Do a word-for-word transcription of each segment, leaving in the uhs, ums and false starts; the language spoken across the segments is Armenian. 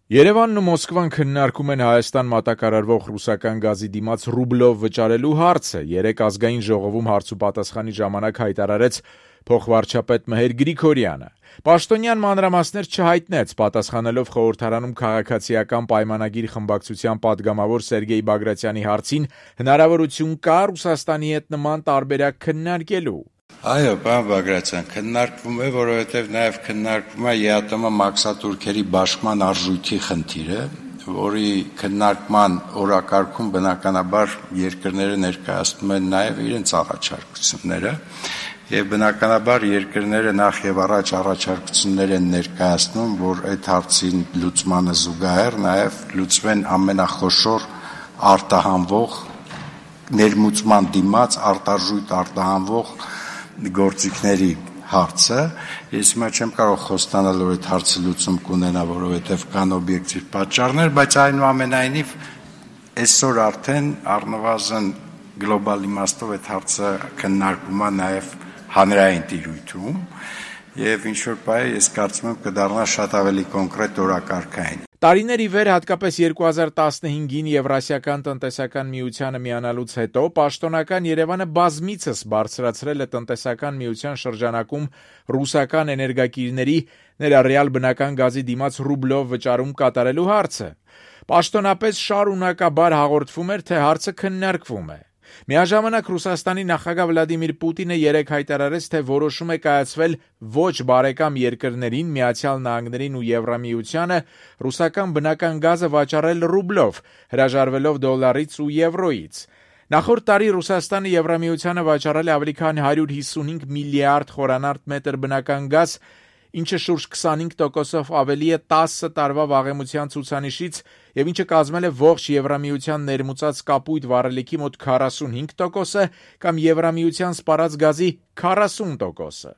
Երևանն ու Մոսկվան քննարկում են Հայաստան մատակարարվող ռուսական գազի դիմաց ռուբլով վճարելու հարցը։ Երեկ ազգային ժողովում հարց ու պատասխանի ժամանակ հայտարարեց փոխվարչապետ Մհեր Գրիգորյանը։ Պաշտոնյան մանրամասներ չհայտնեց, պատասխանելով խորհրդարանում քաղաքացիական պայմանագիր խմբակցության պատգամավոր Սերգեյ Բագրատյանի հարցին, հնարավորություն կա Ռուսաստանի հետ նման տարբերակ քննարկելու։ Այո, պարոն Բագրատյան, քննարկվում է, որովհետև նաև քննարկվում է ԵԱՏՄ մաքսատուրքերի բաշխման արժույթի խնդիրը, որի քննարկման օրակարգում բնականաբար երկրները ներկայացնում են նաև իրենց առաջարկությունները, եւ բնականաբար երկրները նախ եւ առաջ առաջարկություններ են ներկայացնում, որ այդ հարցին լուծմանը զուգահեռ նաև լուծվեն ամենախոշոր արտահանվող ներմուծման դիմաց արտարժույթ արտահանվող գործիքների հարցը։ Ես հիմա չեմ կարող խոստանալ, որ այդ հարցը լուծում կունենա, որովհետև կան օբյեկտիվ պատճառներ, բայց այնուամենայնիվ այսօր արդեն առնվազն գլոբալ իմաստով այդ հարցը քննարկվում է նաև հանրային տիրույթում, եւ ինչ որ բայ ես կարծում եմ կդառնա շատ ավելի կոնկրետ օրակարգային։ Տարիներ ի վեր, հատկապես երկու հազար տասնհինգին Եվրասիական տնտեսական միությանը միանալուց հետո, պաշտոնական Երևանը բազմիցս բարձրացրել է տնտեսական միության շրջանակում ռուսական էներգակիրների, ներառյալ բնական գազի դիմաց ռուբլով վճարում կատարելու հարցը։ Պաշտոնապես շարունակաբար հաղորդվում էր, թե հարցը քննարկվում է։ Միաժամանակ Ռուսաստանի նախագահ Վլադիմիր Պուտինը երեկ հայտարարեց, թե որոշում է կայացվել ոչ բարեկամ երկրներին, Միացյալ Նահանգներին ու Եվրամիությանը ռուսական բնական գազը վաճառել ռուբլով, հրաժարվելով դոլարից ու եվրոյից։ Նախորդ տարի Ռուսաստանը Եվրամիությանը վաճառել է ավելի քան հարյուր հիսունհինգ միլիարդ խորանարդ մետր բնական գազ, ինչը շուրջ քսանհինգ տոկոսով ավելի է տասը տարվա վաղեմության ցուցանիշից եւ ինչը կազմել է ողջ Եվրամիության ներմուծած կապույտ վառելիքի մոտ քառասունհինգ տոկոսը կամ Եվրամիության սպառած գազի քառասուն տոկոսը։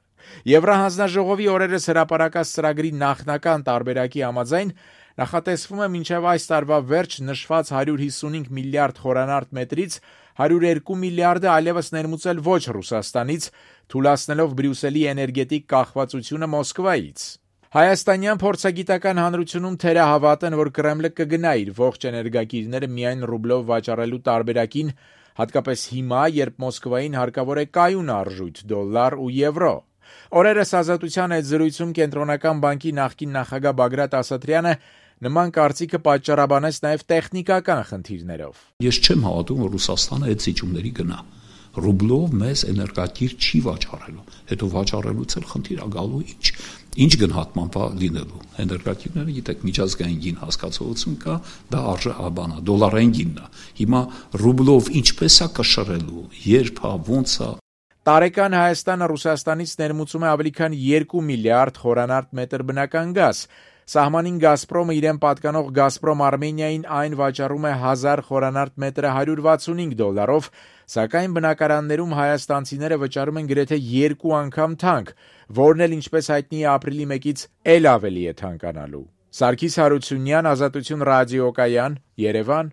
Եվրահանձնաժողովի օրերս հրապարակած ծրագրի նախնական տարբերակի համաձայն նախատեսվում է մինչև այս տարվա վերջ նշված հարյուր հիսունհինգ միլիարդ խորանարդ մետրից հարյուր երկու միլիարդը այլևս ներմուծել ոչ Ռուսաստանից, թույլատնելով Բրյուսելի էներգետիկ կախվածությունը Մոսկվայից։ Հայաստանյան փորձագիտական հանրությունում թերահավատ են, որ Կրեմլը կգնա իր ողջ էներգակիրները միայն ռուբլով վաճառելու տարբերակին, հատկապես հիմա, երբ Մոսկվային հարկավոր է կայուն արժույթ՝ դոլար ու եվրո։ Օրերս Ազատության այդ զրույցում Կենտրոնական բանկի նախկին նախագահ Բագրատ Ասատրյանը նման կարծիքը պատճառաբանեց նաև տեխնիկական խնդիրներով։ Ես չեմ հավատում, որ Ռուսաստանը այդ զիջումների գնա։ Ռուբլով մեզ էներգակիր չի վաճառելու, հետո վաճառելուց էլ խնդիր ա գալու ինչ։ Ինչ գնահատման բա լինելու։ Էներգակիրները, գիտեք, միջազգային գին հասկացողություն կա, դա արժե աբանա, դոլարային գինն է։ Հիմա ռուբլով ինչպես է կշռելու, երբ է, ոնց է։ Տարեկան Հայաստանը Ռուսաստանից ներմուծում է ավելի քան երկու միլիարդ խորանարդ մետր բնական գազ։ Սահմանին Գազպրոմը իրեն պատկանող Գազպրոմ Արմենիային այն վաճառում է հազար խորանարդ մետրը հարյուր վաթսունհինգ դոլարով, սակայն բնակարաններում հայաստանցիները վճարում են գրեթե երկու անգամ թանկ, որն էլ ինչպես հայտնի է ապրիլի մեկից էլ ավելի է թանկանալու։ Սարգիս Հարությունյան, Ազատություն ռադիոկայան, Երևան։